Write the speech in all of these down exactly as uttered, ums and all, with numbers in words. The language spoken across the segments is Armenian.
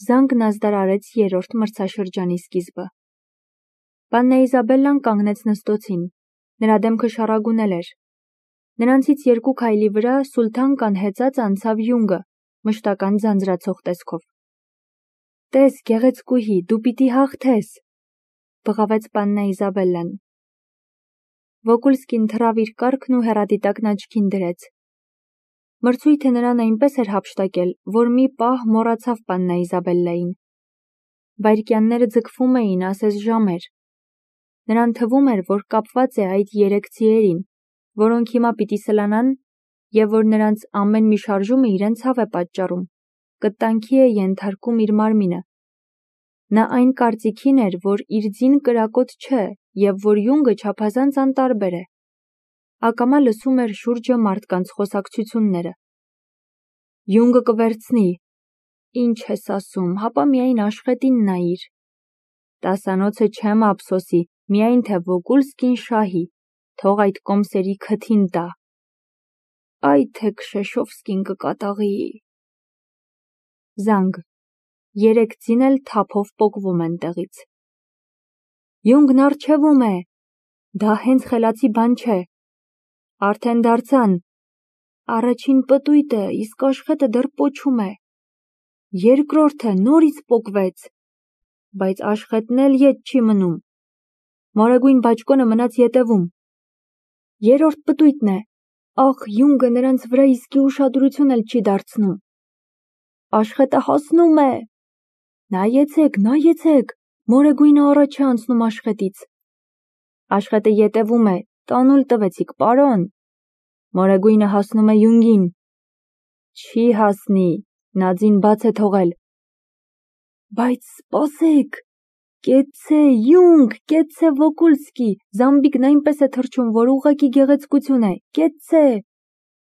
Զանգն ազդարարեց երրորդ մրցաշրջանի սկիզբը։ Պաննա Իզաբելլան կանգնեց նստոցին, նրա դեմքը շառագունել էր։ Նրանցից երկու քայլի վրա Սուլթանկան հեծած անցավ Յունգը, մշտական ձանձրացող տեսքով։ «Տես, գեղեցկուհի, դու պիտի հաղթես», բղավեց պաննա Իզաբելլան։ Վոկուլսկին թռավ իր կառքն ու հեռադիտակն աչքին դրեց։ Մրցույթը նրան այնպես էր հափշտակել, որ մի պահ մոռացավ պաննա Իզաբելլային։ Վայրկյանները ձգվում էին ասես ժամեր։ Նրան թվում էր, որ կապված է այդ երեք ձիերին, որոնք հիմա պիտի սլանան և որ նրանց ամեն մի շարժումը իրենց հավ է պատճառում, կտանքի է ենթարկում իր մարմինը։ Նա այն կարծիքին էր, որ իր ձին կրակոտ չէ և որ Յունգը չափազանց անտարբեր է։ Ակամա լսում էր շուրջը մարդկանց խոսակցությունները։ «Յունգը կվերցնի»։ «Ինչ ես ասում, հապա միայն աշխատին նայիր»։ «Տասանոցը չեմ ափսոսի, միայն թե Վոկուլսկին շահի, թող այդ կոմսերի քթին տա»։ «Այ թե Քշեշովսկին կկատաղի»։ Զանգ։ Երեք ձին էլ թափով պոկվում են տեղից։ «Յունգն առջևում է»։ «Դա հենց խելացի բան չէ»։ «Արդեն դարձան»։ «Առաջին պտույտը, իսկ աշխատը դեռ պոչում է»։ «Երկրորդը նորից պոկվեց»։ «Բայց աշխատն էլ ետ չի մնում»։ «Մորեգույն բաճկոնը մնաց ետևում»։ «Երրորդ պտույտն է»։ «Ախ, Յունգը նրանց վրա իսկի ուշադրություն էլ չի դարձնում»։ «Աշխատը հասնում է»։ «Նայեցեք, նայեցեք, մորեգույնը առաջ է անցնում աշխատից»։ «Աշխատը ետևում է, տանուլ տվեցիք, պարոն»։ «Մորեգույնը հասնում է Յունգին»։ «Չի հասնի, նա ձին բաց է թողել»։ «Բայց սպասեք, կեցցե, Յունգ, կեցցե Վոկուլսկի, զամբիկն այնպես է թռչում, որ ուղղակի գեղեցկություն է, կեցցե,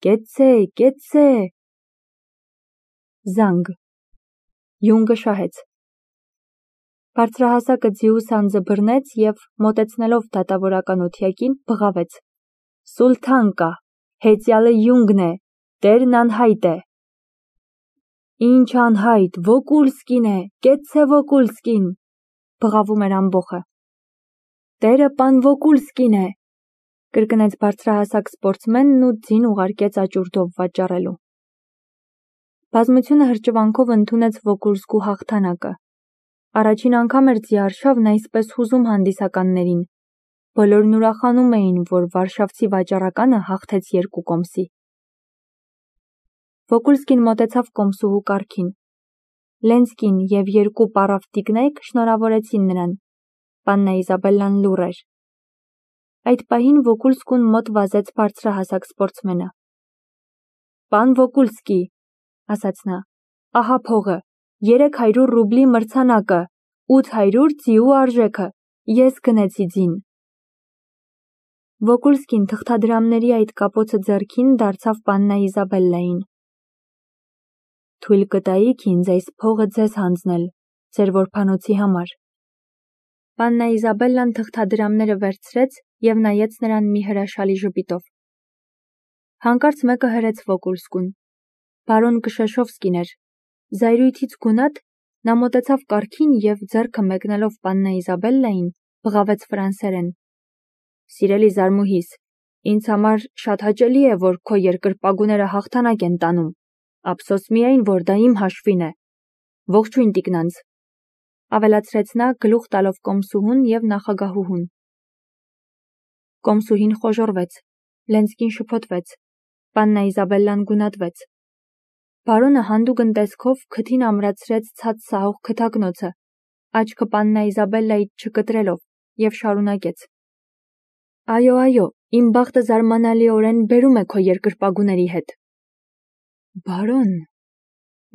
կեցցե, կեցցե»։ Զանգ։ Յունգը շահեց։ Բարձրահասակը ձիու սանձը բռնեց և, մոտեցնելով դատավորական օթյակին, բղավեց. «Սուլթանկա, հեծյալը Յունգն է, տերն անհայտ է»։ «Ինչ անհայտ, Վոկուլսկին է, կեցցե Վոկուլսկին», բղավում էր ամբոխը։ «Տերը պան Վոկուլսկին է», կրկնեց բարձրահասակ սպորտսմենն ու ձին ուղարկեց աճուրդով վաճառելու։ Բազմությունը հրճվանքով ընդունեց Վոկուլսկու հաղթանակը։ Առաջին անգամ էր ձիարշավն այսպես հուզում հանդիսականներին։ Բոլորն ուրախանում էին, որ վարշավցի վաճառականը հաղթեց երկու կոմսի։ Վոկուլսկին մոտեցավ կոմսուհու կառքին։ Լենսկին և երկու պառավ տիկնայք շնորհավորեցին նրան։ Պաննա Իզաբելլան լուռ էր։ Այդ պահին Վոկուլսկուն մոտ վազեց բարձրահասակ սպորտսմենը։ «Պան Վոկուլսկի», ասաց նա, «ահա փողը, երեք հարյուր ռուբլի մրցանակը, ութ հարյուր ձիու արժեքը, ես գնեցի ձին»։ Վոկուլսկին թղթադրամների այդ կապոցը ձեռքին դարձավ պաննա Իզաբելլային։ «Թույլ կտայիք ինձ այս փողը ձեզ հանձնել, ձեր որբանոցի համար»։ Պաննա Իզաբելլան թղթադրամները վերցրեց և նայեց նրան մի հրաշալի ժպիտով։ Հանկարծ մեկը հրեց Վոկուլսկուն։ Բարոն Քշեշովսկին էր։ Զայրույթից գունատ, նա մոտեցավ կառքին և, ձեռքը մեկնելով պաննա Իզաբելլային, բղավեց ֆրանսերեն. «Սիրելի զարմուհիս, ինձ համար շատ հաճելի է, որ քո երկրպագուները հաղթանակ են տանում, ափսոս միայն, որ դա իմ հաշվին է։ Ողջույն տիկնանց», ավելացրեց նա, գլուխ տալով կոմսուհուն և նախագահուհուն։ Կոմսուհին խոժոռվեց, Լենսկին շփոթվեց, պաննա Իզաբելլան գունատվեց։ Բարոնը հանդուգն տեսքով քթին ամրացրեց ցած սահող քթակնոցը, աչքը պաննա Իզաբելլայից չկտրելով, և շարունակեց. «Այո, այո, իմ բախտը զարմանալիորեն բերում է քո երկրպագուների հետ»։ «Բարոն»,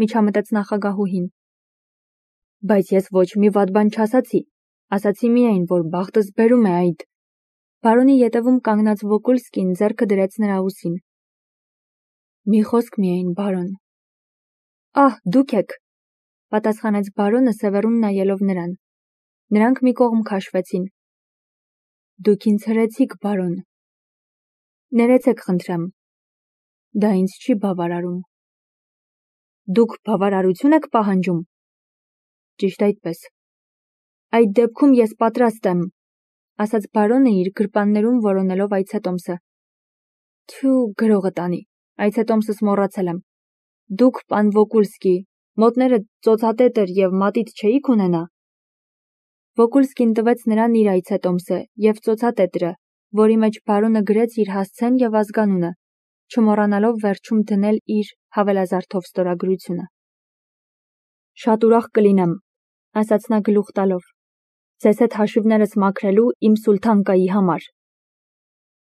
միջամտեց նախագահուհին։ «Բայց ես ոչ մի վատ բան չասացի, ասացի միայն, որ բախտս բերում է այդ»։ Բարոնի ետևում կանգնած Վոկուլսկին ձեռքը դրեց նրա ուսին։ «Մի խոսք միայն, բարոն»։ «Ահ, դուք եք», պատասխանեց բարոնը սևեռուն նայելով նրան։ Նրանք մի կողմ քաշվեցին։ «Դուք ինձ հրեցիք, բարոն»։ «Ներեցեք, խնդրեմ»։ «Դա ինձ չի բավարարում»։ «Դուք բավարարություն եք պահանջում»։ Ճիշտ այդպես։ Այդ դեպքում ես պատրաստ եմ, ասաց բարոնը իր գրպաններում որոնելով այցետոմսը։ Թյու, գրողը տանի, այցետոմսս մոռացել եմ։ Դուք, պան Վոկուլսկի, մոտները ծոցատետր և մատիտ չէիք ունենա։ Վոկուլսկին տվեց նրան իր այցետոմսը և ծոցատետրը, որի մեջ բարոնը գրեց իր հասցեն և ազգանունը, չմոռանալով վերջում դնել իր հավելազարդով ստորագրությունը։ Շատ ուրախ կլինեմ, ասաց նա գլուխ տալով, ձեզ հետ հաշիվներս մաքրելու իմ սուլթանկայի համար։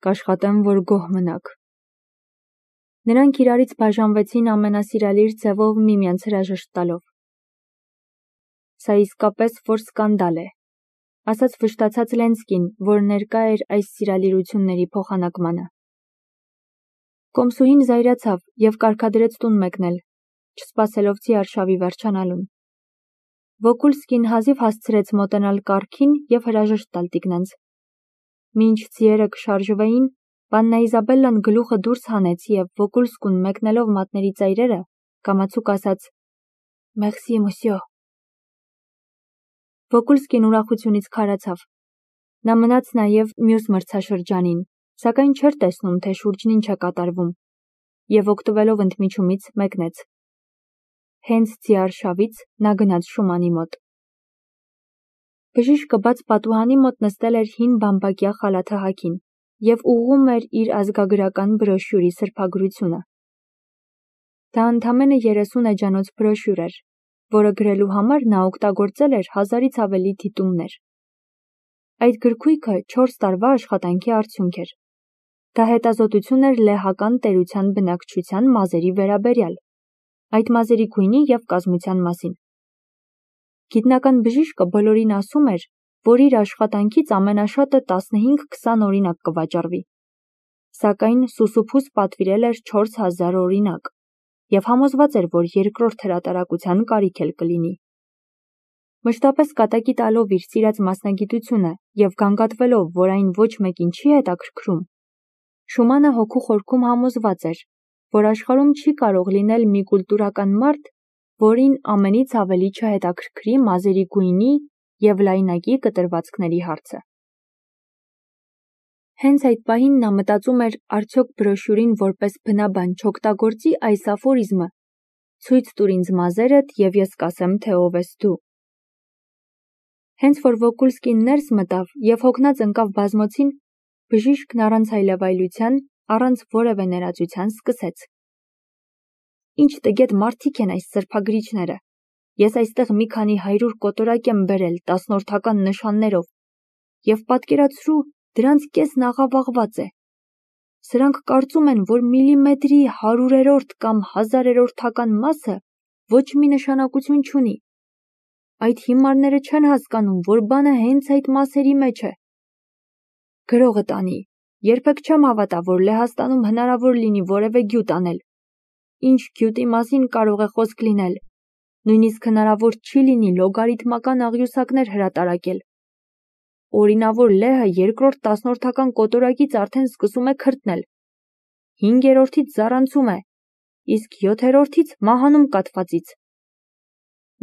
Կաշխատեմ, որ գոհ մնաք։ Նրանք իրարից բաժանվեցին ամենասիրալիր ձևով միմյանց հրաժեշտ տալով։ Սա իսկապես որ սկանդալ է, ասաց վշտացած Լենսկին, որ ներկա էր այս սիրալիրությունների փոխանակմանը։ Կոմսուհին զայրացավ և կարգադրեց տուն մեկնել, չսպասելով Ձիարշավի վերջանալուն։ Վոկուլսկին հազիվ հասցրեց մոտենալ կառքին և հրաժեշտ տալ տիկնանց։ Մինչ ձիերը կշարժվեին, Պաննա Իզաբելլան գլուխը դուրս հանեց և Վոկուլսկուն մեկնելով մատների ծայրերը, կամացուկ ասաց. «Մերսի, մոսյո»։ Վոկուլսկին ուրախությունից քարացավ։ Նա մնաց նաև մյուս մրցաշրջանին, սակայն չէր տեսնում, թե շուրջն ինչ է կատարվում, և օգտվելով ընդմիջումից մեկնեց։ Հենց Ձիարշավից նա գնաց Շումանի մոտ։ Բժիշկը բաց պատուհանի մոտ նստել էր հին բամբակյա խալաթը հագին և ուղղում էր իր ազգագրական բրոշյուրի սրբագրությունը։ Դա ընդամենը երեսուն էջանոց բրոշյուր էր, որը գրելու համար նա օգտագործել էր հազարից ավելի դիտումներ։ Այդ գրքույկը չորս տարվա աշխատանքի արդյունք էր։ Դա հետազոտություն էր լեհական տերության բնակչության մազերի վերաբերյալ, այդ մազերի գույնի և կազմության մասին։ Գիտնական բժիշկը բոլորին ասում էր, որ իր աշխատանքից ամենաշատը տասնհինգ-քսան օրինակ կվաճառվի, սակայն սուսուփուս պատվիրել էր չորս հազար օրինակ և համոզված էր, որ երկրորդ հրատարակության կարիք էլ կլինի։ Մշտապես կատակի տալով իր սիրած մասնագիտությունը և գանգատվելով, որ այն ոչ մեկին չի հետաքրքրում, Շումանը հոգու խորքում համոզված էր, որ աշխարհում չի կարող լինել մի կուլտուրական մարդ, որին ամենից ավելի չհետաքրքրի մազերի գույնի և լայնակի կտրվածքների հարցը։ Հենց այդ պահին նա մտածում էր արդյոք բրոշյուրին որպես բնաբան չօգտագործի այս աֆորիզմը. «Ցույց տուր ինձ մազերդ, և ես կասեմ, թե ով ես դու»։ Հենց որ Վոկուլսկին ներս մտավ և հոգնած ընկավ բազմոցին, բժիշկն առանց այլևայլության, առանց որևէ ներածության սկսեց. «Ինչ տգետ մարդիկ են այս սրբագրիչները։ Ես այստեղ մի քանի հարյուր կոտորակ եմ բերել տասնորդական նշաններով և պատկերացրու, դրանց կեսն աղավաղված է։ Սրանք կարծում են, որ միլիմետրի հարյուրերորդ կամ հազարերորդական մասը ոչ մի նշանակություն չունի։ Այդ հիմարները չեն հասկանում, որ բանը հենց այդ մասերի մեջ է։ Գրողը տանի, երբեք չեմ հավատա, որ Լեհաստանում հնարավոր լինի որևէ գյուտ անել։ Ինչ գյուտի մասին կարող է խոսք լինել։ Նույնիսկ հնարավոր չի լինի լոգարիթմական աղյուսակներ հրատարակել։ Օրինավոր լեհը երկրորդ տասնորդական կոտորակից արդեն սկսում է քրտնել, հինգերորդից զառանցում է, իսկ յոթերորդից մահանում կաթվածից։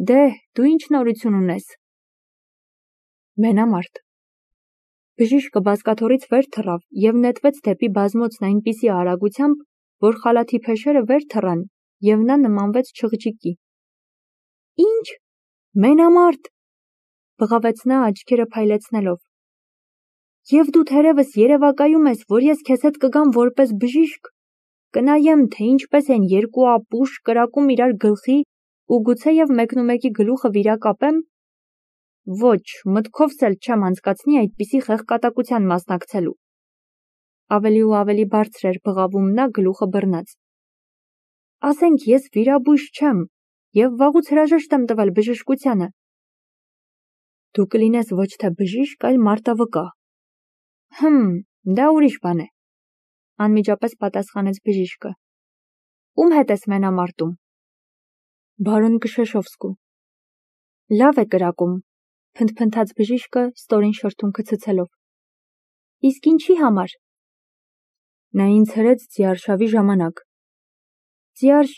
Դե, դու ինչ նորություն ունես։ Մենամարտ։ Բժիշկը բազկաթոռից վեր թռավ և նետվեց դեպի բազմոցն այնպիսի արագությամբ, որ խալաթի փեշերը վեր թռան և նա նմանվեց չղջիկի։ Ինչ։ Մենամարտ, բղավեց նա աչքերը փայլեցնելով։ Եվ դու թերևս երևակայում ես, որ ես քեզ հետ կգամ որպես բժիշկ, կնայեմ, թե ինչպես են երկու ապուշ կրակում իրար գլխի ու գուցեև մեկնումեկի գլուխը վիրակապեմ։ Ոչ, մտքովս էլ չեմ անցկացնի այդպիսի խեղկատակության մասնակցելու։ Ավելի ու ավելի բարձր էր բղավում նա գլուխը բռնած։ Ասենք ես վիրաբույժ չեմ և վաղուց հրաժեշտ եմ տվել բժշկությանը։ Դու կլինես ոչ թե բժիշկ, այլ մարտավկա։ Հմ, դա ուրիշ բան է, անմիջապես պատասխանեց բժիշկը։ Ում հետ ես մենամարտում։ Բարոն Կշեշովսկու։ Լավ է կրակում, փնթփնթաց բժիշկը ստորին շրթունքը ցցելով։ Իսկ ինչի համար։ Նա ինձ հրեց Ձիարշավի ժամանակ։ Ձիարշ,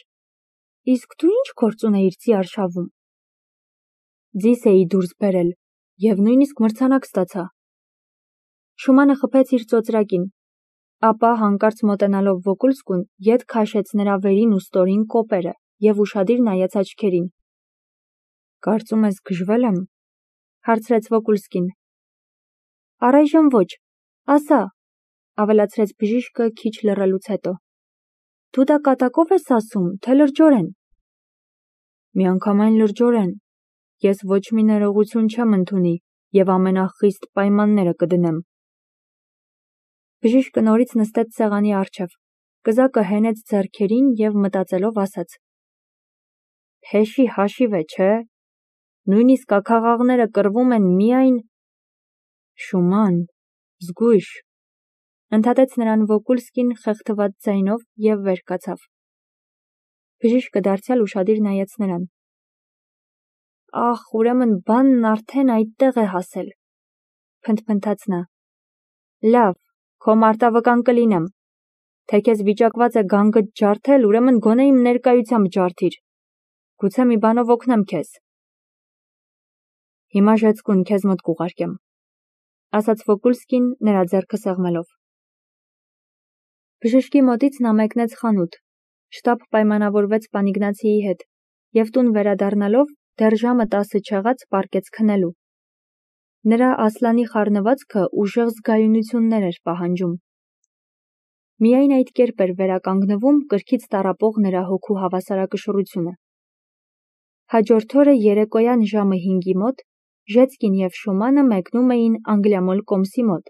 իսկ դու ինչ գործ ունեիր Ձիարշավում։ ձիս էի դուրս բերել և նույնիսկ մրցանակ ստացա։ Շումանը խփեց իր ծոծրակին, ապա հանկարծ մոտենալով Վոկուլսկուն, ետ քաշեց նրա վերին ու ստորին կոպերը և ուշադիր նայեց աչքերին։ Կարծում ես գժվել եմ, հարցրեց Վոկուլսկին։ Առայժմ ոչ, ասա, ավելացրեց բժիշկը քիչ լռելուց հետո։ Դու դա կատակով ես ասում, թե լրջորեն։ Միանգամայն լրջորեն, ես ոչ մի ներողություն չեմ ընդունի և ամենախիստ պայմանները կդնեմ։ Բժիշկը նորից նստեց սեղանի առջև, կզակը հենեց ձեռքերին և մտածելով ասաց. Փեշի հաշիվ է, չէ՞։ Նույնիսկ աքաղաղները կռվում են միայն… Շուման, զգույշ, ընդհատեց նրան Վոկուլսկին խեղդված ձայնով և վեր կացավ։ Բժիշկը դարձյալ ուշադիր նայեց նրան։ Ախ, ուրեմն բանն արդեն այդտեղ է հասել, փնթփնթաց նա։ Լավ, քո մարտավկան կլինեմ, թե քեզ վիճակված է գանգդ ջարդել, ուրեմն գոնե իմ ներկայությամբ ջարդիր, գուցե մի բանով օգնեմ քեզ։ Հիմա ժեցկուն քեզ մոտ կուղարկեմ, ասաց Վոկուլսկին նրա ձեռքը սեղմելով։ Բժշկի մոտից նա մեկնեց խանութ, շտապ պայմանավորվեց Պանիգնացիի հետ և տուն վերադառնալով դեռ ժամը տասը չեղած պառկեց քնելու։ Նրա Ասլանի խառնվածքը ուժեղ զգայունություններ էր պահանջում։ Միայն այդ կերպ էր վերականգնվում կրքից տառապող նրա հոգու հավասարակշռությունը։ Հաջորդ օրը երեկոյան ժամը հինգի մոտ Ժեցկին և Շումանը մեկնում էին Անգլիամոլ կոմսի մոտ,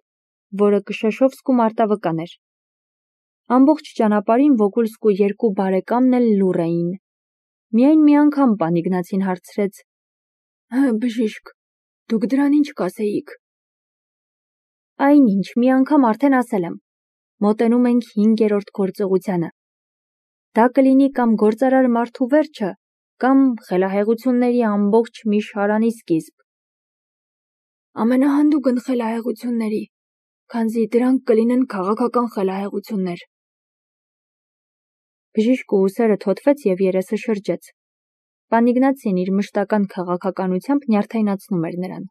որը Կշեշովսկու մարտավկան էր։ Ամբողջ ճանապարհին Վոկուլսկու երկու բարեկամն էլ լուռ էին։ Միայն մի անգամ Պանիգնացին հարցրեց. Բժիշկ, դուք դրան ինչ կասեիք։ Այնինչ, մի անգամ արդեն ասել եմ, մոտենում ենք հինգերորդ գործողությանը։ Դա կլինի կամ գործարար մարդու վերջը, կամ խելահեղությունների ամբողջ մի շարանի սկիզբ։ Ամենահանդուգն խելահեղությունների, քանզի դրանք կլինեն քաղաքական խելահեղություններ։ Բժիշկը ուսերը թոթվեց և երեսը շրջեց։ Պանիգնացին իր մշտական քաղաքականությամբ նյարդայնացնում էր նրան։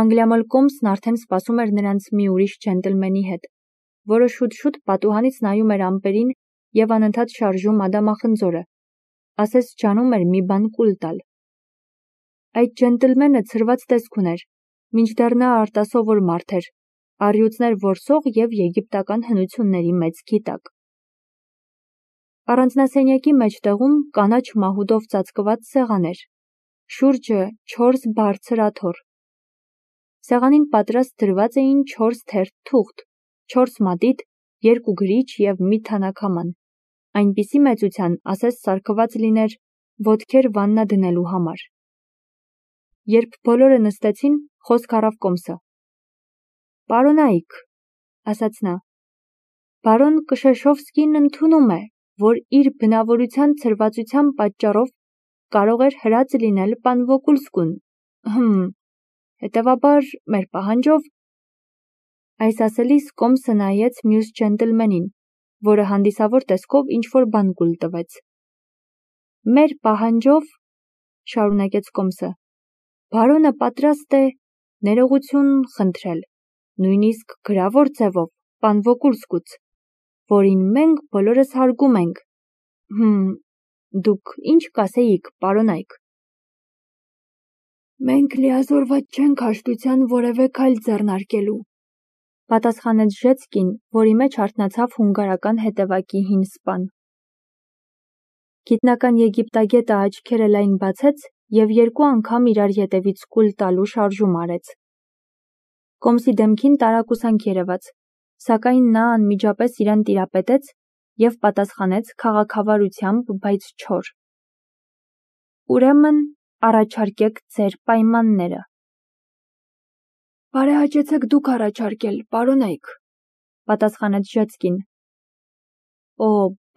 Անգլիամոլ կոմսն արդեն սպասում էր նրանց մի ուրիշ ջենտլմենի հետ, որը շուտ-շուտ պատուհանից նայում էր ամպերին և անընդհատ շարժում ադամախնձորը, ասես ջանում էր մի բան կուլ տալ։ Այդ ջենտլմենը ցրված տեսք ուներ, մինչդեռ նա արտասովոր մարդ էր, առյուծներ որսող և եգիպտական հնությունների մեծ գիտակ։ Առանձնասենյակի մեջտեղում կանաչ մահուդով ծածկված սեղան էր, շուրջը չորս բարձր աթոռ։ Սեղանին պատրաստ դրված էին չորս թերթ թուղթ, չորս մատիտ, երկու գրիչ և մի թանաքաման, այնպիսի մեծության, ասես սարքված լիներ ոտքեր վաննա դնելու համար։ Երբ բոլորը նստեցին, խոսք առավ կոմսը։ Պարոնայք, ասաց նա, բարոն Կշեշովսկին ընդունում է, որ իր բնավորության ցրվածության պատճառով կարող էր հրած լինել պան Վոկուլսկուն, հմ, հետևաբար մեր պահանջով… Այս ասելիս կոմսը նայեց մյուս ջենտլմենին, որը հանդիսավոր տեսքով ինչ-որ բան կուլ տվեց։ Մեր պահանջով, շարունակեց կոմսը, բարոնը պատրաստ է ներողություն խնդրել, նույնիսկ գրավոր ձևով, պան Վոկուլսկուց, որին մենք բոլորս հարգում ենք։ Հմ, դուք ինչ կասեիք, պարոնայք։ Մենք լիազորված չենք հաշտության որևէ քայլ ձեռնարկելու, պատասխանեց Ժեցկին, որի մեջ արթնացավ հունգարական հետևակի հին սպան։ Գիտնական եգիպտագետը աչքերը լայն բացեց և երկու անգամ իրար ետևից կուլ տալու շարժում արեց։ Կոմսի դեմքին տարակուսանք երևաց, սակայն նա անմիջապես իրան տիրապետեց և պատասխանեց քաղաքավարությամբ, բայց չոր. Ուրեմն առաջարկեք ձեր պայմանները։ Բարեհաճեցեք դուք առաջարկել, պարոնայք, պատասխանեց Ժեցկին։ Օ,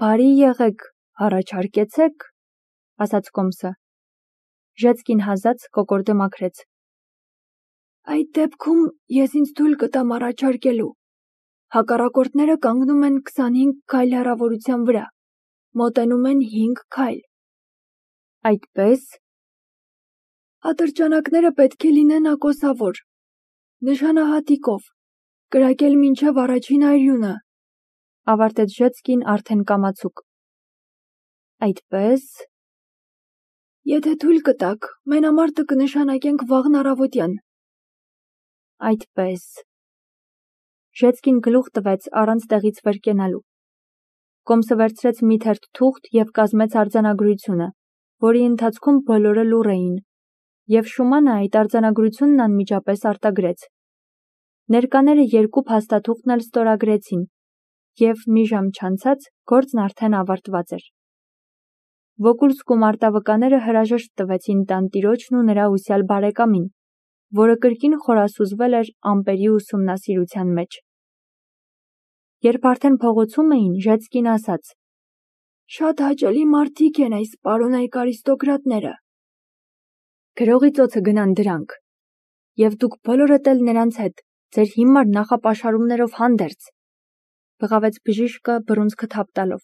բարի եղեք, առաջարկեցեք, ասաց կոմսը։ Ժեցկին հազաց կոկորդը մաքրեց։ Այդ դեպքում ես ինձ թույլ կտամ առաջարկելու։ Հակառակորդները կանգնում են քսանհինգ քայլ հեռավորության վրա, մոտենում են հինգ քայլ։ Այդպե՞ս։ Ատրճանակները պետք է լինեն ակոսավոր, նշանահատիկով, կրակել մինչև առաջին այրյունը, ավարտեց Ժեցկին արդեն կամացուկ։ Այդպես, եթե թույլ կտաք, մենամարտը կնշանակենք վաղն առավոտյան։ Այդպես։ Ժեցկին գլուխ տվեց առանց տեղից վեր կենալու։ Կոմսը վերցրեց մի թերթ թուղթ և կազմեց արձանագրությունը, որի ընթացքում բոլորը լուռ էին, և Շումանը այդ արձանագրությունն անմիջապես արտագրեց։ Ներկաները երկու փաստաթուղթն էլ ստորագրեցին, և մի ժամ չանցած գործն արդեն ավարտված էր։ Վոկուլսկու մարտավկաները հրաժեշտ տվեցին տանտիրոջն ու նրա ուսյալ բարեկամին, որը կրկին խորասուզվել էր ամպերի ուսումնասիրության մեջ։ Երբ արդեն փողոցում էին, Ժեցկին ասաց. Շատ հաճելի մարդիկ են այս պարոնայք արիստոկրատները։ Գրողի ծոցը գնան դրանք, և դուք բոլորդ էլ նրանց հետ, ձեր հիմար նախապաշարումներով հանդերձ, բղավեց բժիշկը բռունցքը թափ տալով։